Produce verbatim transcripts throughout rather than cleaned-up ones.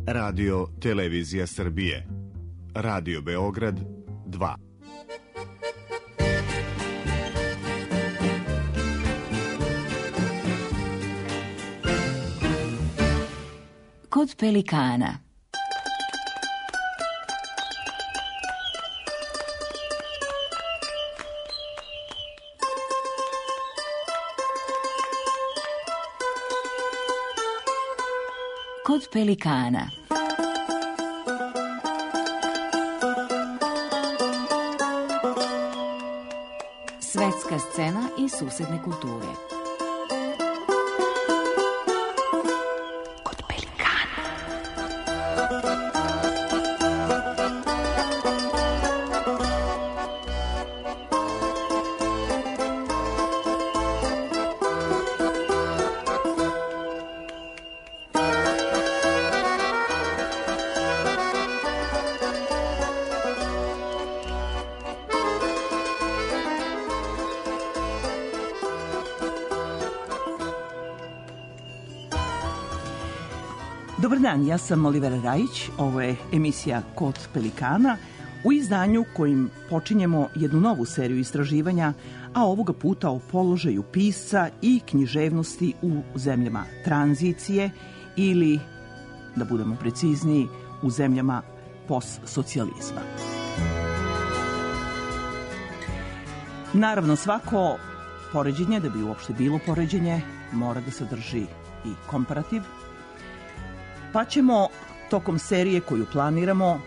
Radio Televizija Srbije. Radio Beograd dva. Kod pelikana. Kod pelikana. Svetska scena i susedne kulture. Kod pelikana. Dobar dan, ja sam Olivera Rajić, ovo je emisija Kod pelikana u izdanju kojim počinjemo jednu novu seriju istraživanja, a ovoga puta o položaju pisca i književnosti u zemljama tranzicije ili, da budemo precizniji, u zemljama postsocijalizma. Naravno, svako poređenje, da bi uopšte bilo poređenje, mora da sadrži i komparativ, pa ćemo tokom serije koju planiramo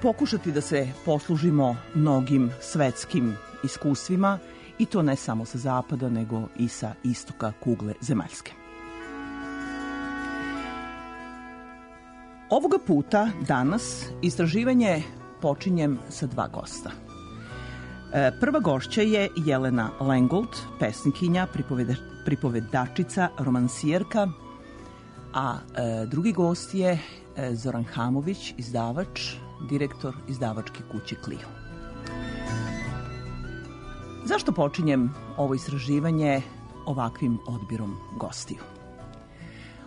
pokušati da se poslužimo mnogim svetskim iskustvima i to ne samo sa zapada nego i sa istoka kugle zemaljske. Ovoga puta, danas, istraživanje počinjem sa dva gosta. Prva gošća je Jelena Lengold, pesnikinja, pripovedačica, romansijerka, a e, drugi gost je e, Zoran Hamović, izdavač, direktor izdavačke kuće Clio. Zašto počinjem ovo istraživanje ovakvim odbirom gostiju?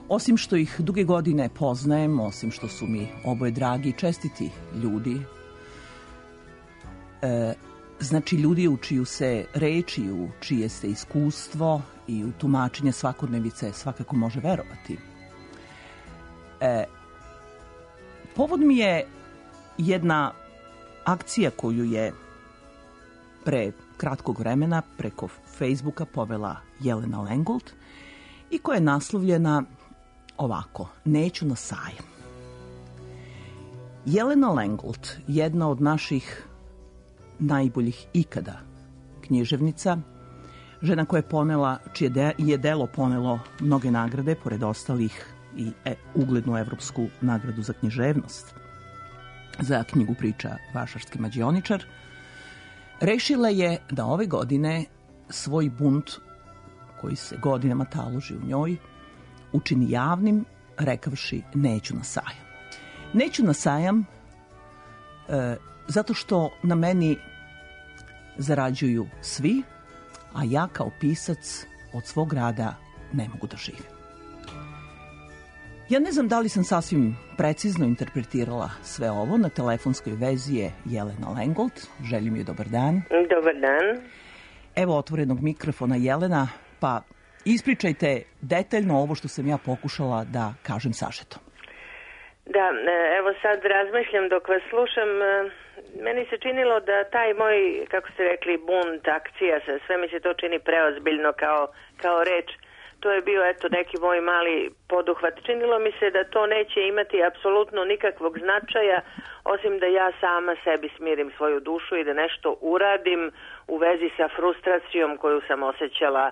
Osim što ih duge godine poznajem, osim što su mi oboje dragi i čestiti ljudi, e, znači ljudi u čiju se reči, u čije se iskustvo i u tumačenje svakodnevice svakako može verovati. E, povod mi je jedna akcija koju je pre kratkog vremena preko Facebooka povela Jelena Lengold i koja je naslovljena ovako: Neću na sajam. Jelena Lengold, jedna od naših najboljih ikada književnica, žena koja je ponela, čije de, je delo ponelo mnoge nagrade, pored ostalih i e, uglednu evropsku nagradu za književnost, za knjigu priča Vašarski mađioničar, rešila je da ove godine svoj bunt, koji se godinama taloži u njoj, učini javnim, rekavši neću na sajam. Neću na sajam e, zato što na meni zarađuju svi, a ja kao pisac od svog rada ne mogu da živim. Ja ne znam da li sam sasvim precizno interpretirala sve ovo. Na telefonskoj vezi je Jelena Lengold. Želim joj dobar dan. Dobar dan. Evo otvorenog mikrofona, Jelena, pa ispričajte detaljno ovo što sam ja pokušala da kažem sažeto. Da, evo sad razmišljam dok vas slušam. Meni se činilo da taj moj, kako ste rekli, bunt, akcija, sve mi se to čini preozbiljno kao, kao reč. To je bio, eto, neki moj mali poduhvat. Činilo mi se da to neće imati apsolutno nikakvog značaja, osim da ja sama sebi smirim svoju dušu i da nešto uradim u vezi sa frustracijom koju sam osjećala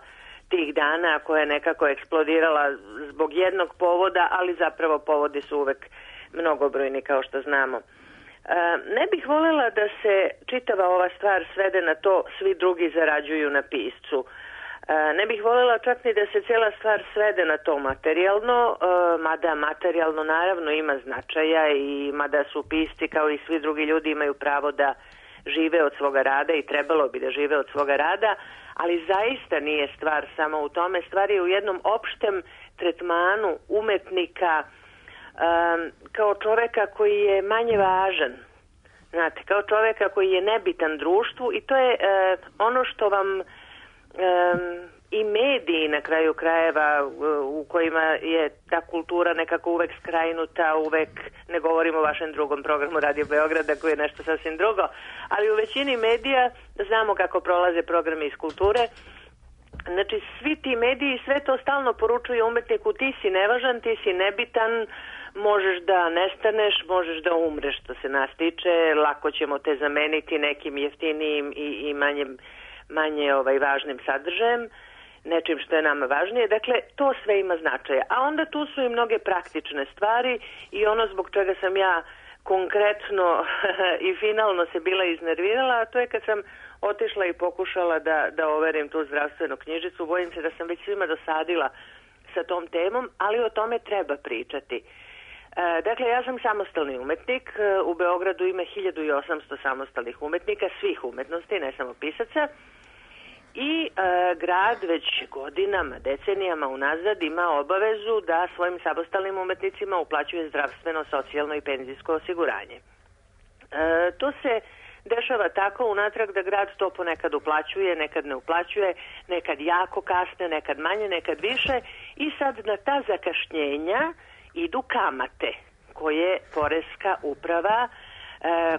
tih dana, koja je nekako eksplodirala zbog jednog povoda, ali zapravo povodi su uvek mnogobrojni, kao što znamo. E, ne bih voljela da se čitava ova stvar svede na to svi drugi zarađuju na piscu. Ne bih voljela čak ni da se cijela stvar svede na to materijalno, mada materijalno naravno ima značaja i mada su pisci kao i svi drugi ljudi imaju pravo da žive od svoga rada i trebalo bi da žive od svoga rada, ali zaista nije stvar samo u tome. Stvar je u jednom opštem tretmanu umetnika kao čoveka koji je manje važan, znate, kao čoveka koji je nebitan društvu i to je uh, ono što vam um, i mediji na kraju krajeva u kojima je ta kultura nekako uvek skrajnuta, uvek, ne govorimo o vašem drugom programu Radio Beograda koji je nešto sasvim drugo, ali u većini medija znamo kako prolaze programi iz kulture. Znači svi ti mediji sve to stalno poručuju umetniku, ti si nevažan, ti si nebitan, možeš da nestaneš, možeš da umreš, što se nas tiče, lako ćemo te zameniti nekim jeftinijim i, i manje, manje ovaj, važnim sadržajem, nečim što je nama važnije. Dakle, to sve ima značaja. A onda tu su i mnoge praktične stvari i ono zbog čega sam ja konkretno i finalno se bila iznervirala, a to je kad sam otišla i pokušala da, da overim tu zdravstvenu knjižicu. Bojim se da sam već svima dosadila sa tom temom, ali o tome treba pričati. E, dakle, ja sam samostalni umetnik. U Beogradu ima hiljadu i osamsto samostalnih umetnika, svih umetnosti, ne samo pisaca. I e, grad već godinama, decenijama unazad ima obavezu da svojim samostalnim umetnicima uplaćuje zdravstveno, socijalno i penzijsko osiguranje. E, to se dešava tako unatrag da grad to ponekad uplaćuje, nekad ne uplaćuje, nekad jako kasne, nekad manje, nekad više i sad na ta zakašnjenja idu kamate koje poreska uprava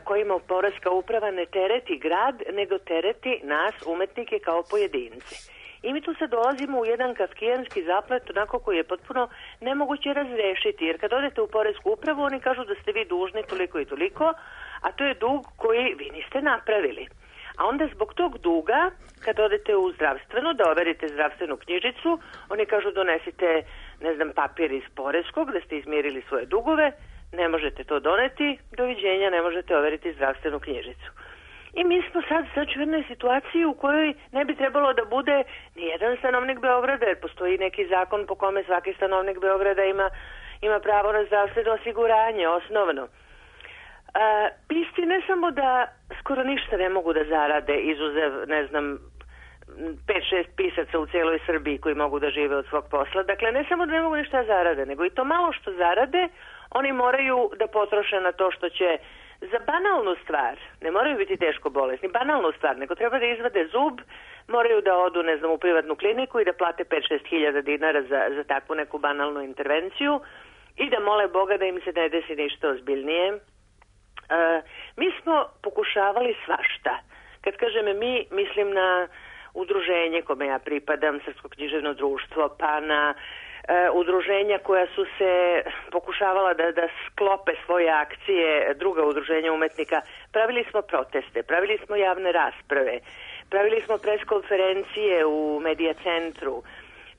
kojima poreska uprava ne tereti grad, nego tereti nas, umetnike, kao pojedinci. I mi tu se dolazimo u jedan kafkijanski zaplet, onako koji je potpuno nemoguće razrešiti, jer kad odete u poresku upravu, oni kažu da ste vi dužni toliko i toliko, a to je dug koji vi niste napravili. A onda zbog tog duga, kad odete u zdravstveno, da overite zdravstvenu knjižicu, oni kažu donesite, ne znam, papir iz poreskog, da ste izmirili svoje dugove, ne možete to doneti, doviđenja, ne možete overiti zdravstvenu knjižicu. I mi smo sad znači u jednoj situaciji u kojoj ne bi trebalo da bude ni jedan stanovnik Beograda, jer postoji neki zakon po kome svaki stanovnik Beograda ima, ima pravo na zdravstveno osiguranje, osnovno. A, pisci ne samo da skoro ništa ne mogu da zarade, izuzev, ne znam, pet šest pisaca u cijeloj Srbiji koji mogu da žive od svog posla. Dakle, ne samo da ne mogu ništa zarade, nego i to malo što zarade, oni moraju da potroše na to što će za banalnu stvar, ne moraju biti teško bolesni, banalnu stvar, nego treba da izvade zub, moraju da odu, ne znam, u privatnu kliniku i da plate pet šest hiljada dinara za, za takvu neku banalnu intervenciju i da mole Boga da im se ne desi ništa ozbiljnije. E, mi smo pokušavali svašta. Kad kažem mi, mislim na udruženje kome ja pripadam, Srpsko književno društvo, pa na e, udruženja koja su se pokušavala da, da sklope svoje akcije, druga udruženja umetnika. Pravili smo proteste, pravili smo javne rasprave, pravili smo preskonferencije u Medija centru,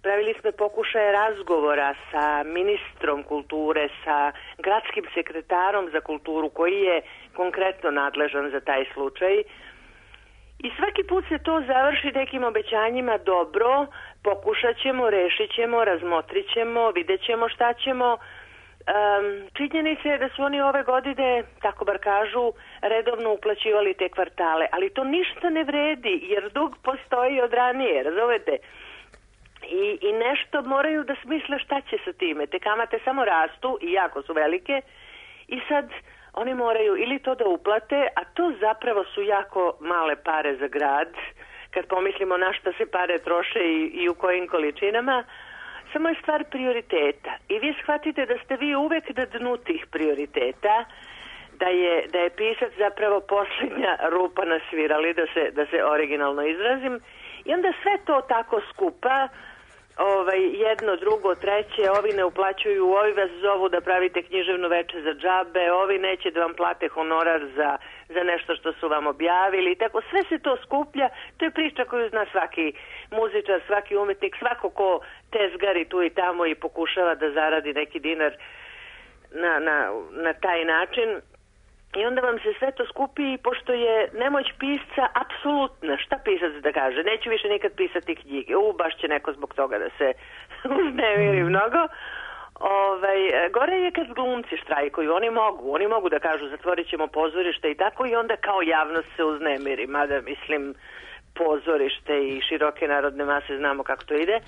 pravili smo pokušaje razgovora sa ministrom kulture, sa gradskim sekretarom za kulturu koji je konkretno nadležan za taj slučaj. I svaki put se to završi nekim obećanjima, dobro, pokušat ćemo, rešit ćemo, razmotrit ćemo, vidjet ćemo šta ćemo. Um, činjenica je da su oni ove godine, tako bar kažu, redovno uplaćivali te kvartale, ali to ništa ne vredi, jer dug postoji od ranije, razumete? I, i nešto moraju da smisle šta će sa time. Te kamate samo rastu i jako su velike i sad oni moraju ili to da uplate, a to zapravo su jako male pare za grad, kad pomislimo na šta se pare troše i, i u kojim količinama. Samo je stvar prioriteta. I vi shvatite da ste vi uvek na dnu tih prioriteta, da je, da je pisac zapravo posljednja rupa na svirali, da se, da se originalno izrazim. I onda sve to tako skupa, ovaj, jedno, drugo, treće, ovi ne uplaćuju, ovi vas zovu da pravite književno veče za džabe, ovi neće da vam plate honorar za, za nešto što su vam objavili. Tako sve se to skuplja, to je priča koju zna svaki muzičar, svaki umetnik, svako ko tezgari tu i tamo i pokušava da zaradi neki dinar na, na, na taj način. I onda vam se sve to skupi i pošto je nemoć pisca apsolutna, šta pisac da kaže, neću više nikad pisati knjige, u, baš će neko zbog toga da se uznemiri mnogo. Ovaj, gore je kad glumci štrajkuju, oni mogu, oni mogu da kažu zatvorit ćemo pozorište i tako i onda kao javnost se uznemiri, mada mislim pozorište i široke narodne mase znamo kako to ide,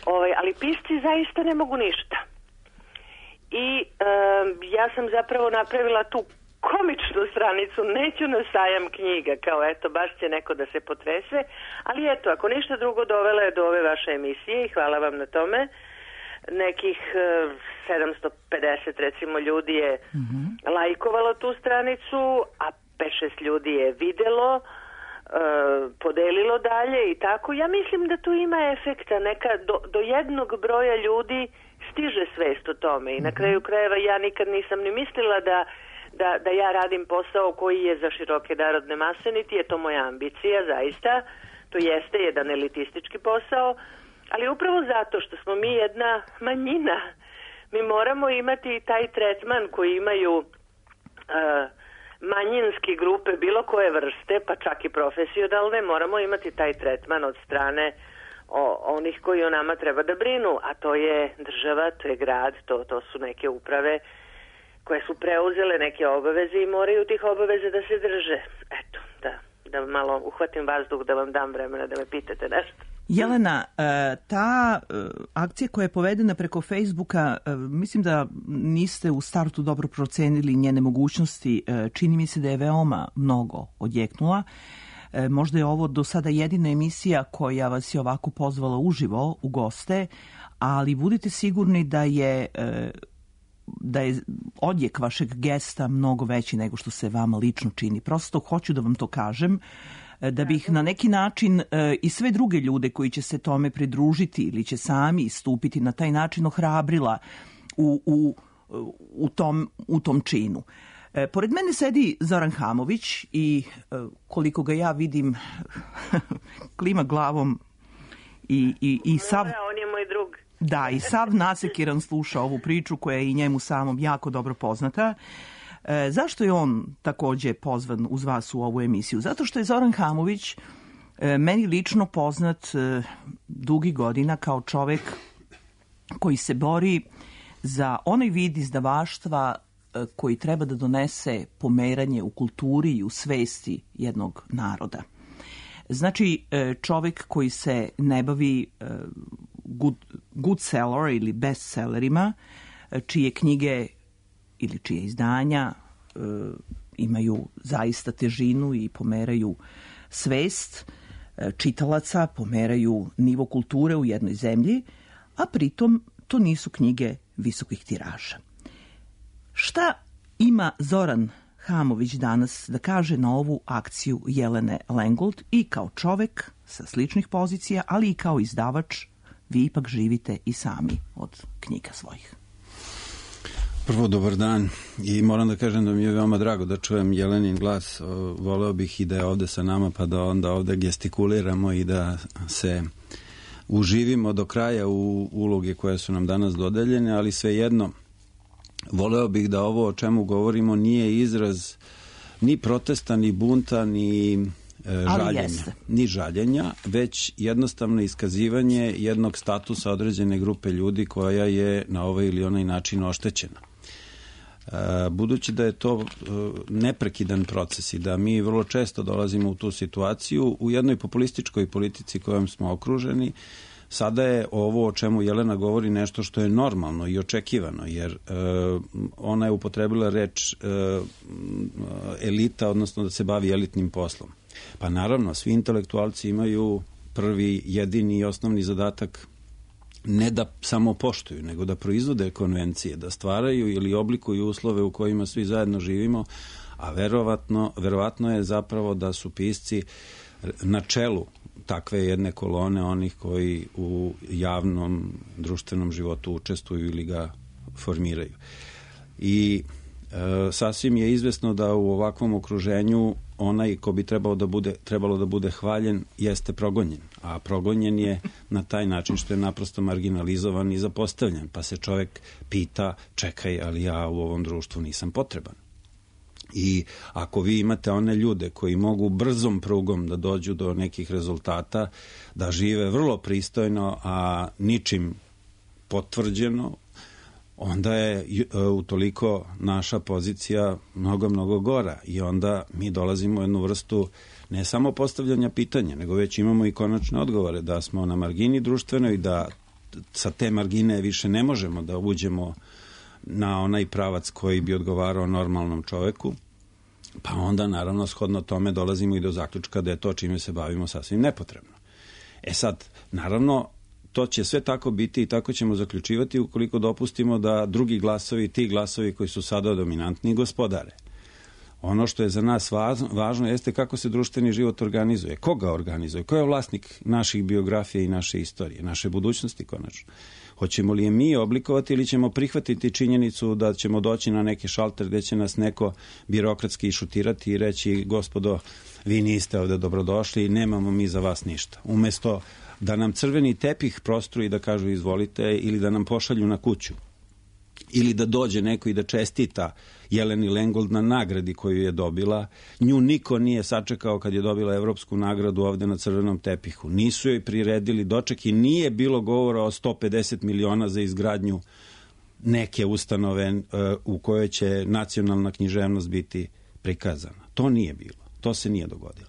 ovaj, ali pisci zaista ne mogu ništa. i uh, ja sam zapravo napravila tu komičnu stranicu, neću na sajam knjiga, kao eto, baš će neko da se potrese, ali eto, ako ništa drugo, dovela je do ove vaše emisije i hvala vam na tome. Nekih uh, sedamsto pedeset recimo ljudi je mm-hmm. lajkovalo tu stranicu, a pet šest ljudi je videlo, uh, podelilo dalje i tako. Ja mislim da tu ima efekta, neka do, do jednog broja ljudi stiže svest o tome i na kraju krajeva ja nikad nisam ni mislila da Da, da ja radim posao koji je za široke narodne mase, niti je to moja ambicija, zaista. To jeste jedan elitistički posao, ali upravo zato što smo mi jedna manjina, mi moramo imati taj tretman koji imaju uh, manjinske grupe bilo koje vrste, pa čak i profesionalne, moramo imati taj tretman od strane o, onih koji o nama treba da brinu, a to je država, to je grad, to, to su neke uprave koje su preuzele neke obaveze i moraju tih obaveze da se drže. Eto, da, da malo uhvatim vazduh, da vam dam vremena da me pitate nešto. Jelena, ta akcija koja je povedena preko Facebooka, mislim da niste u startu dobro procenili njene mogućnosti. Čini mi se da je veoma mnogo odjeknula. Možda je ovo do sada jedina emisija koja vas je ovako pozvala uživo u goste, ali budite sigurni da je da je odjek vašeg gesta mnogo veći nego što se vama lično čini. Prosto hoću da vam to kažem, da bih na neki način i sve druge ljude koji će se tome pridružiti ili će sami istupiti na taj način ohrabrila u, u, u, tom, u tom činu. Pored mene sedi Zoran Hamović i koliko ga ja vidim klima glavom i, i, i sav... On je moj drug. Da, i sav nasekiran sluša ovu priču koja je i njemu samom jako dobro poznata. E, zašto je on takođe pozvan uz vas u ovu emisiju? Zato što je Zoran Hamović e, meni lično poznat e, dugi godina kao čovek koji se bori za onaj vid izdavaštva e, koji treba da donese pomeranje u kulturi i u svesti jednog naroda. Znači, e, čovek koji se ne bavi e, good, good seller ili bestsellerima, čije knjige ili čije izdanja e, imaju zaista težinu i pomeraju svest e, čitalaca, pomeraju nivo kulture u jednoj zemlji, a pritom to nisu knjige visokih tiraža. Šta ima Zoran Hamović danas da kaže na ovu akciju Jelene Lengold i kao čovek sa sličnih pozicija, ali i kao izdavač? Vi ipak živite i sami od knjiga svojih. Prvo, dobar dan i moram da kažem da mi je veoma drago da čujem Jelenin glas. Voleo bih i da je ovde sa nama pa da onda ovde gestikuliramo i da se uživimo do kraja u uloge koje su nam danas dodeljene, ali svejedno voleo bih da ovo o čemu govorimo nije izraz ni protesta, ni bunta, ni žaljenja, ni žaljenja, već jednostavno iskazivanje jednog statusa određene grupe ljudi koja je na ovaj ili onaj način oštećena. Budući da je to neprekidan proces i da mi vrlo često dolazimo u tu situaciju, u jednoj populističkoj politici kojom smo okruženi, sada je ovo o čemu Jelena govori nešto što je normalno i očekivano, jer e, ona je upotrebila reč e, elita, odnosno da se bavi elitnim poslom. Pa naravno, svi intelektualci imaju prvi, jedini i osnovni zadatak ne da samo poštuju, nego da proizvode konvencije, da stvaraju ili oblikuju uslove u kojima svi zajedno živimo, a verovatno, verovatno je zapravo da su pisci na čelu takve jedne kolone onih koji u javnom društvenom životu učestvuju ili ga formiraju. I e, sasvim je izvesno da u ovakvom okruženju onaj ko bi trebalo da bude, trebalo da bude hvaljen jeste progonjen, a progonjen je na taj način što je naprosto marginalizovan i zapostavljen, pa se čovek pita, čekaj, ali ja u ovom društvu nisam potreban. I ako vi imate one ljude koji mogu brzom prugom da dođu do nekih rezultata, da žive vrlo pristojno, a ničim potvrđeno, onda je utoliko naša pozicija mnogo, mnogo gora i onda mi dolazimo u jednu vrstu ne samo postavljanja pitanja, nego već imamo i konačne odgovore da smo na margini društvenoj i da sa te margine više ne možemo da uđemo na onaj pravac koji bi odgovarao normalnom čoveku, pa onda naravno shodno tome dolazimo i do zaključka da je to čime se bavimo sasvim nepotrebno. E sad, naravno, to će sve tako biti i tako ćemo zaključivati ukoliko dopustimo da drugi glasovi, ti glasovi koji su sada dominantni, gospodare. Ono što je za nas važno jeste kako se društveni život organizuje, ko ga organizuje, ko je vlasnik naših biografija i naše istorije, naše budućnosti konačno. Hoćemo li je mi oblikovati ili ćemo prihvatiti činjenicu da ćemo doći na neki šalter gde će nas neko birokratski šutirati i reći gospodo, vi niste ovde dobrodošli i nemamo mi za vas ništa. Umesto da nam crveni tepih prostru i da kažu izvolite ili da nam pošalju na kuću. Ili da dođe neko i da čestita Jeleni Lengold na nagradi koju je dobila. Nju niko nije sačekao kad je dobila evropsku nagradu ovde na crvenom tepihu. Nisu joj priredili doček i nije bilo govora o sto pedeset miliona za izgradnju neke ustanove uh, u kojoj će nacionalna književnost biti prikazana. To nije bilo. To se nije dogodilo.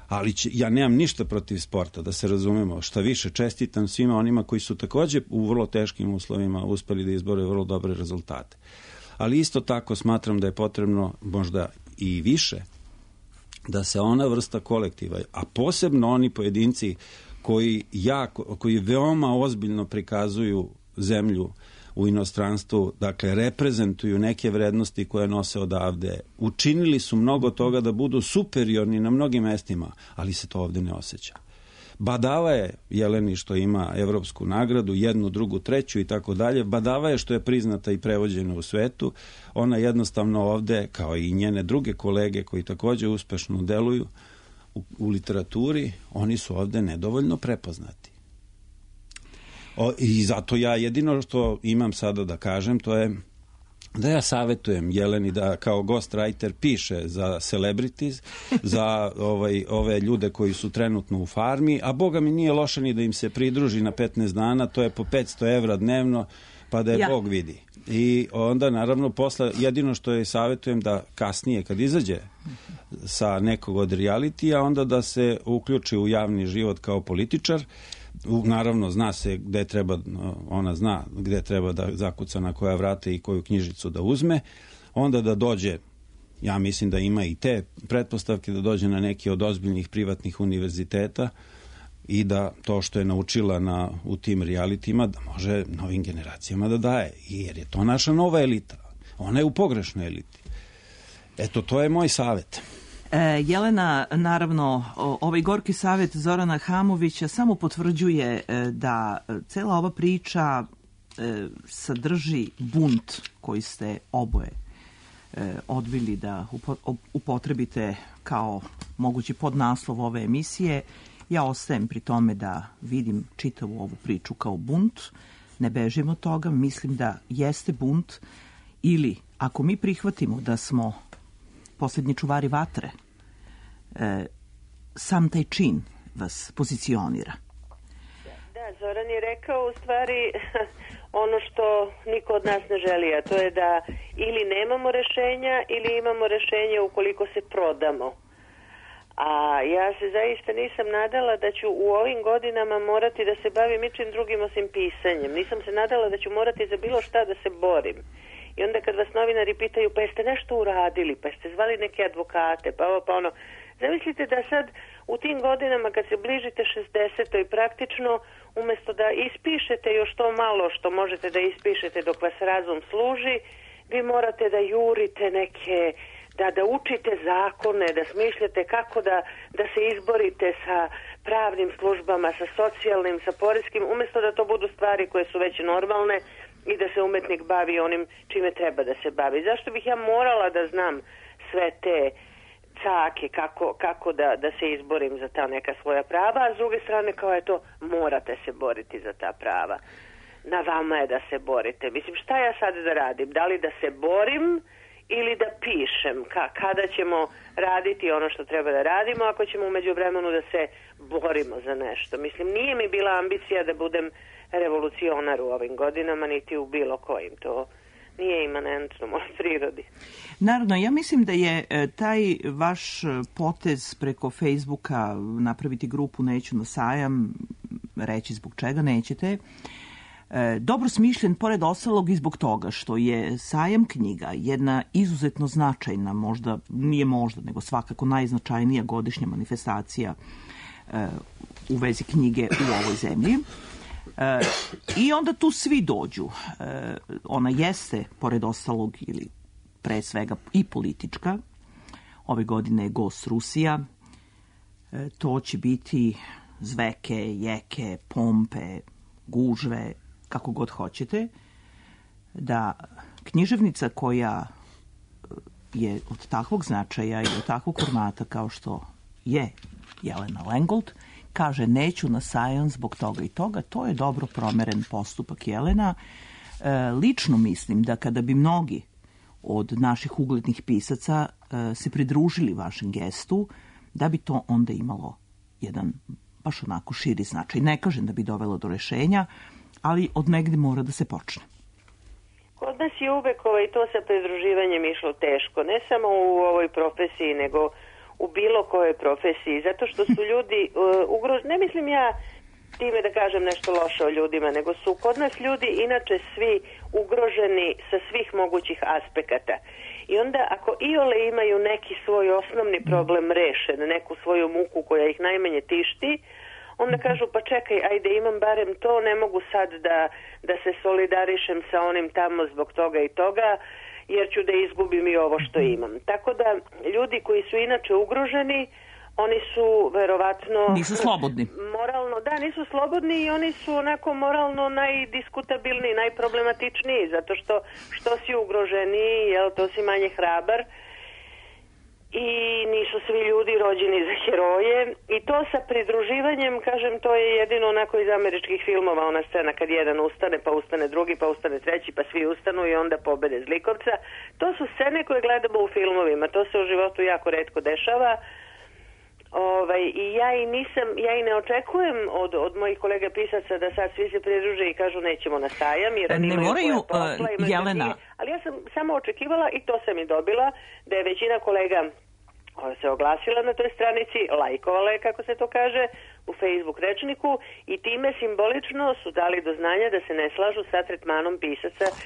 Ali će, ja nemam ništa protiv sporta, da se razumemo. Šta više, čestitam svima onima koji su takođe u vrlo teškim uslovima uspeli da izbore vrlo dobre rezultate. Ali isto tako smatram da je potrebno možda i više da se ona vrsta kolektiva, a posebno oni pojedinci koji, jako, koji veoma ozbiljno prikazuju zemlju u inostranstvu, dakle, reprezentuju neke vrednosti koje nose odavde. Učinili su mnogo toga da budu superiorni na mnogim mestima, ali se to ovde ne osjeća. Badava je Jeleni što ima evropsku nagradu, jednu, drugu, treću i tako dalje. Badava je što je priznata i prevođena u svetu. Ona jednostavno ovde, kao i njene druge kolege koji takođe uspešno deluju u, u literaturi, oni su ovde nedovoljno prepoznati. O, I zato ja jedino što imam sada da kažem, to je da ja savetujem Jeleni da kao ghostwriter piše za celebrities, za ovaj, ove ljude koji su trenutno u farmi, a boga mi nije loše ni da im se pridruži na petnaest dana, to je po petsto evra dnevno, pa da je ja. Bog vidi. I onda naravno posle, jedino što je savetujem da kasnije kad izađe sa nekog od realitija, onda da se uključi u javni život kao političar. Naravno, zna se gde treba, ona zna gde treba da zakuca na koja vrata i koju knjižicu da uzme, onda da dođe, ja mislim da ima i te pretpostavke, da dođe na neki od ozbiljnih privatnih univerziteta i da to što je naučila na, u tim realitima da može novim generacijama da daje, jer je to naša nova elita, ona je u pogrešnoj eliti. Eto, to je moj savjet. E, Jelena, naravno, ovaj gorki savjet Zorana Hamovića samo potvrđuje e, da cela ova priča e, sadrži bunt koji ste oboje e, odbili da upo, upotrebite kao mogući podnaslov ove emisije. Ja ostajem pri tome da vidim čitavu ovu priču kao bunt, ne bežim od toga, mislim da jeste bunt, ili ako mi prihvatimo da smo posljednji čuvari vatre, e, sam taj čin vas pozicionira. Da, Zoran je rekao u stvari ono što niko od nas ne želi, a to je da ili nemamo rešenja ili imamo rešenje ukoliko se prodamo. A ja se zaista nisam nadala da ću u ovim godinama morati da se bavim ničim drugim osim pisanjem. Nisam se nadala da ću morati za bilo šta da se borim. I onda kad vas novinari pitaju, pa jeste nešto uradili, pa jeste zvali neke advokate, pa ovo, pa ono. Zamislite da sad u tim godinama kad se bližite šezdesetoj praktično, umesto da ispišete još to malo što možete da ispišete dok vas razum služi, vi morate da jurite neke, da, da učite zakone, da smišljate kako da, da se izborite sa pravnim službama, sa socijalnim, sa poreskim, umesto da to budu stvari koje su već normalne i da se umetnik bavi onim čime treba da se bavi. Zašto bih ja morala da znam sve te cake, kako, kako da, da se izborim za ta neka svoja prava, a s druge strane kao je to, morate se boriti za ta prava. Na vama je da se borite. Mislim, šta ja sad da radim? Da li da se borim ili da pišem? Ka, kada ćemo raditi ono što treba da radimo, ako ćemo umeđu vremenu da se borimo za nešto? Mislim, nije mi bila ambicija da budem revolucionar u ovim godinama, niti u bilo kojim. To nije imanentno mojoj prirodi. Naravno, ja mislim da je taj vaš potez preko Facebooka napraviti grupu Neću na sajam, reći zbog čega nećete, E, dobro smišljen, pored ostalog, i zbog toga što je sajam knjiga jedna izuzetno značajna, možda, nije možda, nego svakako najznačajnija godišnja manifestacija e, u vezi knjige u ovoj zemlji. E, I onda tu svi dođu. E, ona jeste, pored ostalog, ili pre svega i politička. Ove godine je gost Rusija. E, to će biti zveke, jeke, pompe, gužve, kako god hoćete, da književnica koja je od takvog značaja i od takvog formata kao što je Jelena Lengold, kaže neću na sajam zbog toga i toga, to je dobro promeren postupak Jelena. E, lično mislim da kada bi mnogi od naših uglednih pisaca e, se pridružili vašem gestu, da bi to onda imalo jedan baš onako širi značaj. Ne kažem da bi dovelo do rešenja, ali od negde mora da se počne. Kod nas je uvek ovaj, to sa pridruživanjem išlo teško, ne samo u ovoj profesiji, nego u bilo kojoj profesiji, zato što su ljudi uh, ugroženi, ne mislim ja time da kažem nešto loše o ljudima, nego su kod nas ljudi inače svi ugroženi sa svih mogućih aspekata. I onda ako iole imaju neki svoj osnovni problem rešen, neku svoju muku koja ih najmanje tišti, onda kažu pa čekaj, ajde imam barem to, ne mogu sad da, da se solidarišem sa onim tamo zbog toga i toga, jer ću da izgubim i ovo što imam. Tako da ljudi koji su inače ugroženi, oni su verovatno... Nisu slobodni. Moralno, da, nisu slobodni i oni su onako moralno najdiskutabilniji, najproblematičniji, zato što što si ugroženiji, jel, to si manje hrabar i nisu svi ljudi rođeni za heroje. I to sa pridruživanjem, kažem, to je jedino onako iz američkih filmova, ona scena kad jedan ustane, pa ustane drugi, pa ustane treći, pa svi ustanu i onda pobede zlikovca. To su scene koje gledamo u filmovima, to se u životu jako retko dešava. Ovaj, I ja i nisam, ja i ne očekujem od, od mojih kolega pisaca da sad svi se pridruže i kažu nećemo na sajam, jer ne moraju, posla, uh, Jelena. Drugi, ali ja sam samo očekivala i to sam i dobila, da je većina kolega se oglasila na toj stranici, lajkovala je, kako se to kaže, u Facebook rečniku i time simbolično su dali do znanja da se ne slažu sa tretmanom pisaca, uh,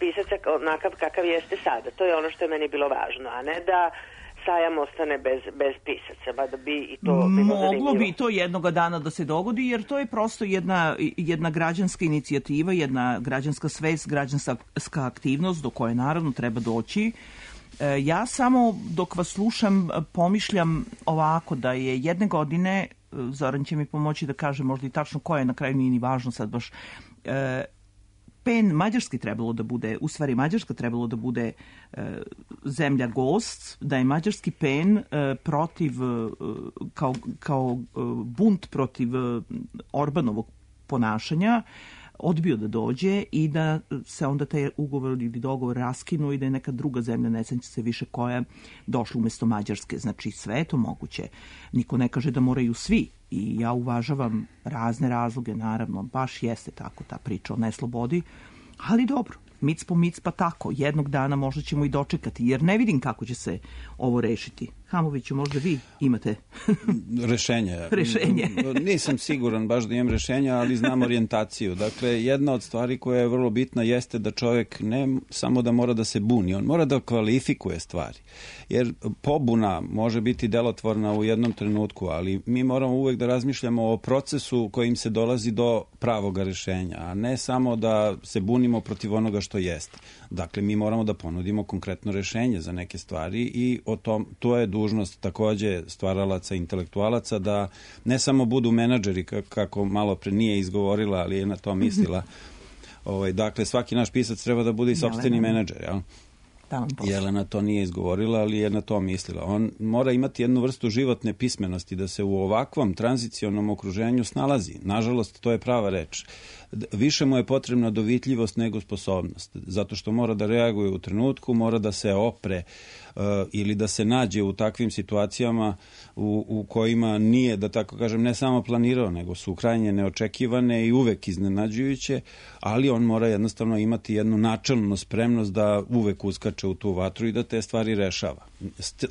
pisaca onakav kakav jeste sada. To je ono što je meni bilo važno, a ne da sajam ostane bez, bez pisaca, ba da bi i to bilo Moglo zanimljivo. bi to jednoga dana da se dogodi, jer to je prosto jedna, jedna građanska inicijativa, jedna građanska svest, građanska aktivnost do koje naravno treba doći. E, ja samo dok vas slušam pomišljam ovako da je jedne godine, Zoran će mi pomoći da kaže možda i tačno koja je, na kraju nije ni važno sad baš, e, pen Mađarski trebalo da bude, u stvari Mađarska trebalo da bude e, zemlja gost, da je mađarski pen e, protiv, e, kao, kao e, bunt protiv e, Orbanovog ponašanja, odbio da dođe i da se onda taj ugovor ili dogovor raskinu i da je neka druga zemlja, ne sećam se više koja, došla umesto Mađarske. Znači sve je to moguće. Niko ne kaže da moraju svi. I ja uvažavam razne razloge, naravno, baš jeste tako ta priča o neslobodi, ali dobro, mic po mic pa tako, jednog dana možda ćemo i dočekati, jer ne vidim kako će se ovo rešiti. Hamoviću, možda vi imate rešenje. rešenje. Nisam siguran baš da imam rešenja, ali znam orijentaciju. Dakle, jedna od stvari koja je vrlo bitna jeste da čovjek ne samo da mora da se buni, on mora da kvalifikuje stvari. Jer pobuna može biti delotvorna u jednom trenutku, ali mi moramo uvek da razmišljamo o procesu kojim se dolazi do pravoga rešenja, a ne samo da se bunimo protiv onoga što jeste. Dakle, mi moramo da ponudimo konkretno rešenje za neke stvari i o tom, to je dužnost takođe stvaralaca, intelektualaca, da ne samo budu menadžeri, kako malo pre nije izgovorila, ali je na to mislila. Ovaj, dakle, svaki naš pisac treba da bude i sopstveni menadžer, jel? Jelena to nije izgovorila, ali je na to mislila. On mora imati jednu vrstu životne pismenosti da se u ovakvom tranzicionom okruženju snalazi. Nažalost, to je prava reč. Više mu je potrebna dovitljivost nego sposobnost, zato što mora da reaguje u trenutku, mora da se opre uh, ili da se nađe u takvim situacijama u, u kojima nije, da tako kažem, ne samo planirao, nego su krajnje neočekivane i uvek iznenađujuće, ali on mora jednostavno imati jednu načelnu spremnost da uvek uskače u tu vatru i da te stvari rešava.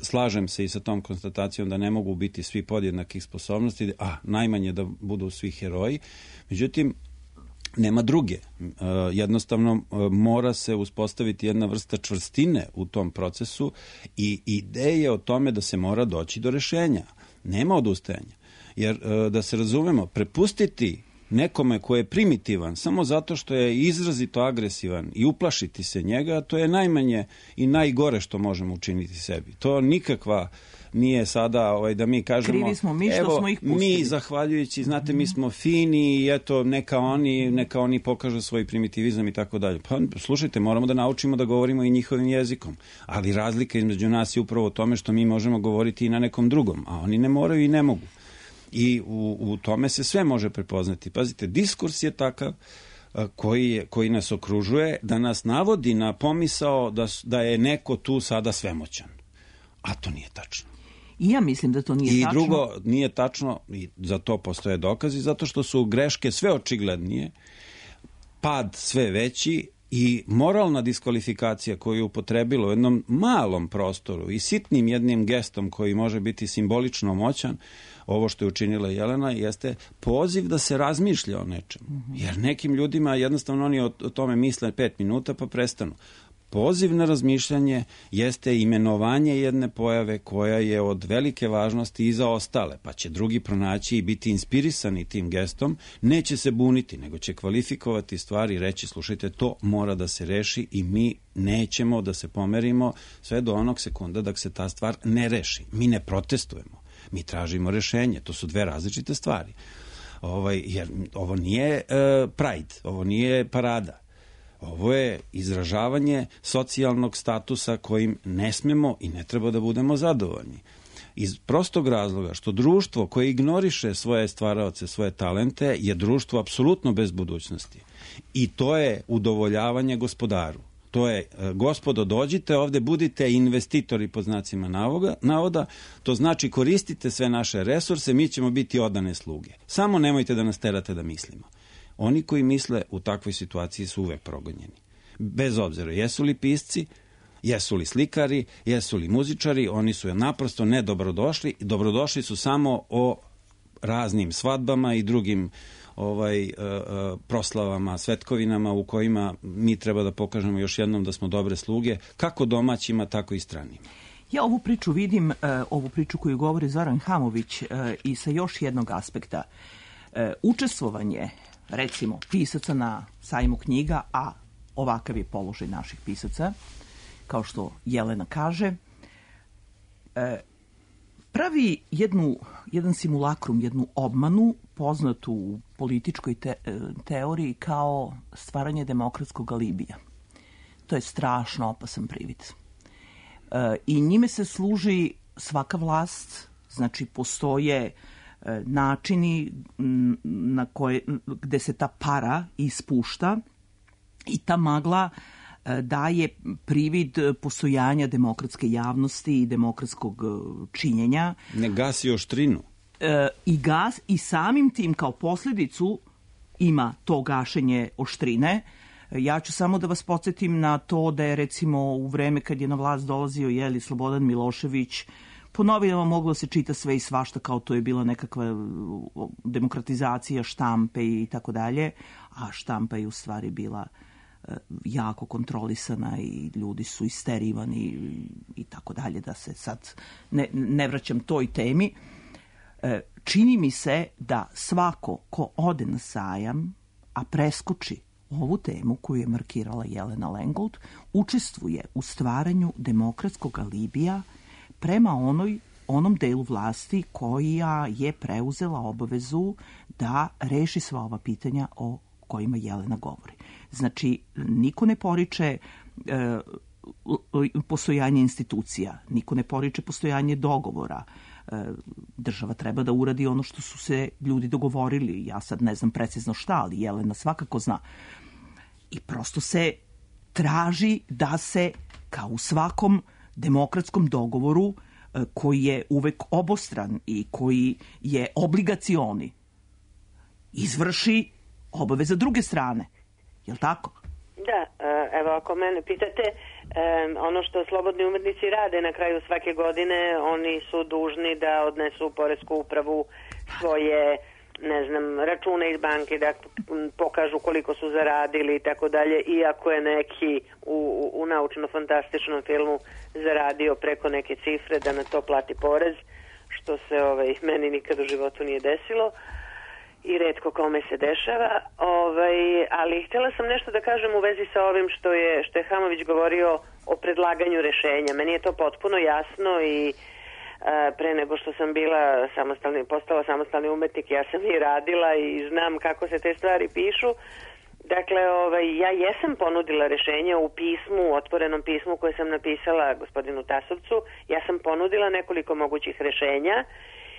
Slažem se i sa tom konstatacijom da ne mogu biti svi podjednakih sposobnosti, a najmanje da budu svi heroji. Međutim, Nema druge. Jednostavno mora se uspostaviti jedna vrsta čvrstine u tom procesu i ideje o tome da se mora doći do rešenja. Nema odustajanja. Jer da se razumemo, prepustiti nekome ko je primitivan samo zato što je izrazito agresivan i uplašiti se njega, to je najmanje i najgore što možemo učiniti sebi. To nikakva nije sada ovaj, da mi kažemo krivi smo mi što evo, smo ih pustili. Mi zahvaljujući, znate, mi smo fini i eto, neka oni, neka oni pokažu svoj primitivizam i tako dalje. Pa slušajte, moramo da naučimo da govorimo i njihovim jezikom. Ali razlika između nas je upravo u tome što mi možemo govoriti i na nekom drugom, a oni ne moraju i ne mogu. I u, u tome se sve može prepoznati. Pazite, diskurs je takav koji, je, koji nas okružuje, da nas navodi na pomisao da, da je neko tu sada svemoćan. A to nije tačno. I ja mislim da to nije I tačno. I drugo, nije tačno, i za to postoje dokazi, zato što su greške sve očiglednije, pad sve veći i moralna diskvalifikacija koju je upotrebilo u jednom malom prostoru i sitnim jednim gestom koji može biti simbolično moćan, ovo što je učinila Jelena, jeste poziv da se razmišlja o nečemu. Jer nekim ljudima jednostavno oni o, o tome misle pet minuta pa prestanu. Poziv na razmišljanje jeste imenovanje jedne pojave koja je od velike važnosti i za ostale, pa će drugi pronaći i biti inspirisani tim gestom, neće se buniti, nego će kvalifikovati stvari i reći, slušajte, to mora da se reši i mi nećemo da se pomerimo sve do onog sekunda dok se ta stvar ne reši. Mi ne protestujemo, mi tražimo rešenje, to su dve različite stvari. Ovaj, jer ovo nije uh, Pride, ovo nije parada. Ovo je izražavanje socijalnog statusa kojim ne smemo i ne treba da budemo zadovoljni. Iz prostog razloga što društvo koje ignoriše svoje stvaraoce, svoje talente, je društvo apsolutno bez budućnosti. I to je udovoljavanje gospodaru. To je, gospodo, dođite ovde, budite investitori po znacima navoga, navoda, to znači koristite sve naše resurse, mi ćemo biti odane sluge. Samo nemojte da nas terate da mislimo. Oni koji misle u takvoj situaciji su uvek progonjeni. Bez obzira, jesu li pisci, jesu li slikari, jesu li muzičari, oni su naprosto nedobrodošli. Dobrodošli su samo o raznim svadbama i drugim ovaj, uh, uh, proslavama, svetkovinama u kojima mi treba da pokažemo još jednom da smo dobre sluge, kako domaćima, tako i stranima. Ja ovu priču vidim, uh, ovu priču koju govori Zoran Hamović uh, i sa još jednog aspekta. Uh, učestvovanje, recimo, pisaca na sajmu knjiga, a ovakav je položaj naših pisaca, kao što Jelena kaže, uh, pravi jednu, jedan simulakrum, jednu obmanu poznatu u političkoj te, teoriji kao stvaranje demokratskog alibija. To je strašno opasan privid. E, I njime se služi svaka vlast, znači postoje e, načini na koje, gde se ta para ispušta i ta magla e, daje privid postojanja demokratske javnosti i demokratskog činjenja. Ne gasi oštrinu. E, i gas i samim tim kao posljedicu ima to gašenje oštrine. Ja ću samo da vas podsjetim na to da je recimo u vreme kad je na vlast dolazio jeli Slobodan Milošević, po novinama moglo se čita sve i svašta kao to je bila nekakva demokratizacija štampe i tako dalje, a štampa je u stvari bila jako kontrolisana i ljudi su isterivani i, i tako dalje, da se sad ne, ne vraćam toj temi. Čini mi se da svako ko ode na sajam, a preskoči ovu temu koju je markirala Jelena Lengold, učestvuje u stvaranju demokratskog alibija prema onoj, onom delu vlasti koja je preuzela obavezu da reši sva ova pitanja o kojima Jelena govori. Znači, niko ne poriče e, postojanje institucija, niko ne poriče postojanje dogovora. Država treba da uradi ono što su se ljudi dogovorili. Ja sad ne znam precizno šta, ali Jelena svakako zna. I prosto se traži da se, kao u svakom demokratskom dogovoru, koji je uvek obostran i koji je obligacioni, izvrši obaveza druge strane. Jel' tako? Da, evo ako mene pitate, ono što slobodni umetnici rade na kraju svake godine, oni su dužni da odnesu u poresku upravu svoje ne znam, račune iz banke, da pokažu koliko su zaradili i tako dalje, iako je neki u, u naučno-fantastičnom filmu zaradio preko neke cifre da na to plati porez, što se ovaj, meni nikad u životu nije desilo i retko kome se dešava. Ovaj, ali htjela sam nešto da kažem u vezi sa ovim što je, što je Hamović govorio o predlaganju rešenja. Meni je to potpuno jasno i pre nego što sam bila samostalni, postala samostalni umetnik, ja sam i radila i znam kako se te stvari pišu. Dakle, ovaj, ja jesam ponudila rešenje u pismu, u otvorenom pismu koje sam napisala gospodinu Tasovcu. Ja sam ponudila nekoliko mogućih rešenja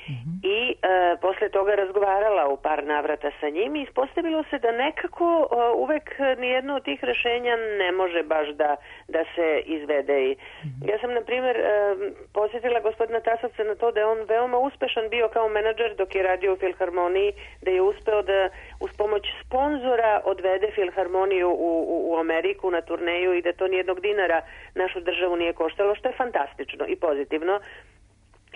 mm-hmm. i e, posle toga razgovarala u par navrata sa njim i ispostavilo se da nekako e, uvek nijedno od tih rešenja ne može baš da, da se izvede. I mm-hmm. ja sam, na primjer, e, posjetila gospodina Tasovca na to da je on veoma uspešan bio kao menadžer dok je radio u Filharmoniji, da je uspeo da uz pomoć sponzora odvede Filharmoniju u, u, u Ameriku na turneju i da to nijednog dinara našu državu nije koštalo, što je fantastično i pozitivno.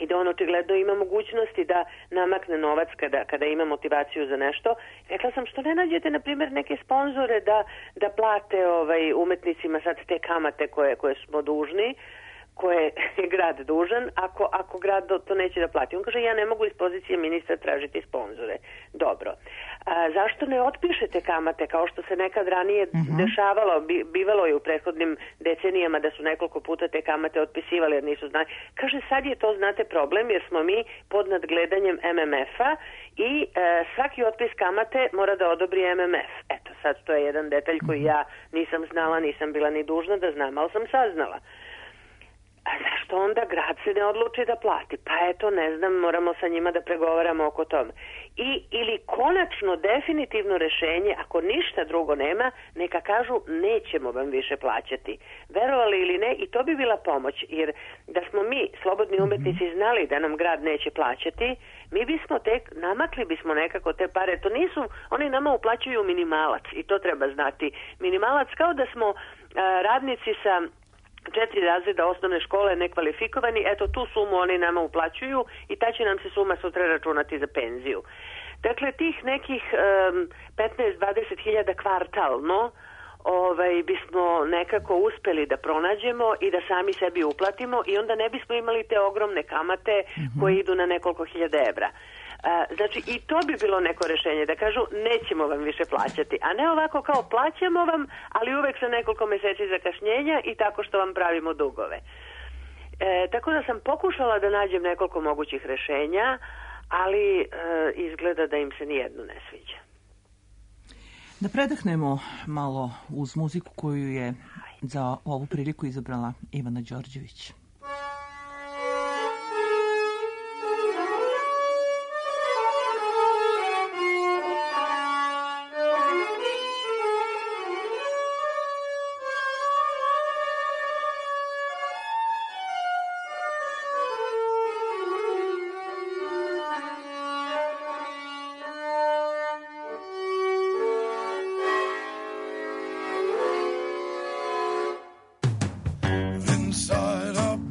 I da on očigledno ima mogućnosti da namakne novac kada, kada ima motivaciju za nešto. Rekla sam, što ne nađete, na primjer, neke sponzore da, da plate ovaj, umetnicima sad te kamate koje, koje smo dužni, koje je grad dužan, ako, ako grad to neće da plati. On kaže, ja ne mogu iz pozicije ministra tražiti sponzore. Dobro. A, zašto ne otpišete kamate kao što se nekad ranije uh-huh. dešavalo, bi, bivalo je u prethodnim decenijama da su nekoliko puta te kamate otpisivali jer nisu znali. Kaže, sad je to, znate, problem jer smo mi pod nadgledanjem M M F-a i e, svaki otpis kamate mora da odobri M M F. Eto, sad to je jedan detalj koji ja nisam znala, nisam bila ni dužna da znam, ali sam saznala. A zašto onda grad se ne odluči da plati? Pa eto, ne znam, moramo sa njima da pregovaramo oko tome. I, ili konačno definitivno rešenje, ako ništa drugo nema, neka kažu nećemo vam više plaćati. Verovali ili ne, i to bi bila pomoć, jer da smo mi, slobodni umetnici, znali da nam grad neće plaćati, mi bismo tek, namakli bismo nekako te pare. To nisu, oni nama uplaćuju minimalac i to treba znati. Minimalac kao da smo a, radnici sa četiri razreda osnovne škole nekvalifikovani, eto tu sumu oni nama uplaćuju i ta će nam se suma sutra računati za penziju. Dakle, tih nekih um, petnaest do dvadeset hiljada kvartalno ovaj, bismo nekako uspeli da pronađemo i da sami sebi uplatimo i onda ne bismo imali te ogromne kamate mm-hmm. koje idu na nekoliko hiljada evra. A, znači i to bi bilo neko rešenje, da kažu nećemo vam više plaćati, a ne ovako kao plaćamo vam, ali uvek sa nekoliko meseci zakašnjenja i tako što vam pravimo dugove. E, tako da sam pokušala da nađem nekoliko mogućih rešenja, ali e, izgleda da im se nijedno ne sviđa. Da predahnemo malo uz muziku koju je za ovu priliku izabrala Ivana Đorđević. Inside a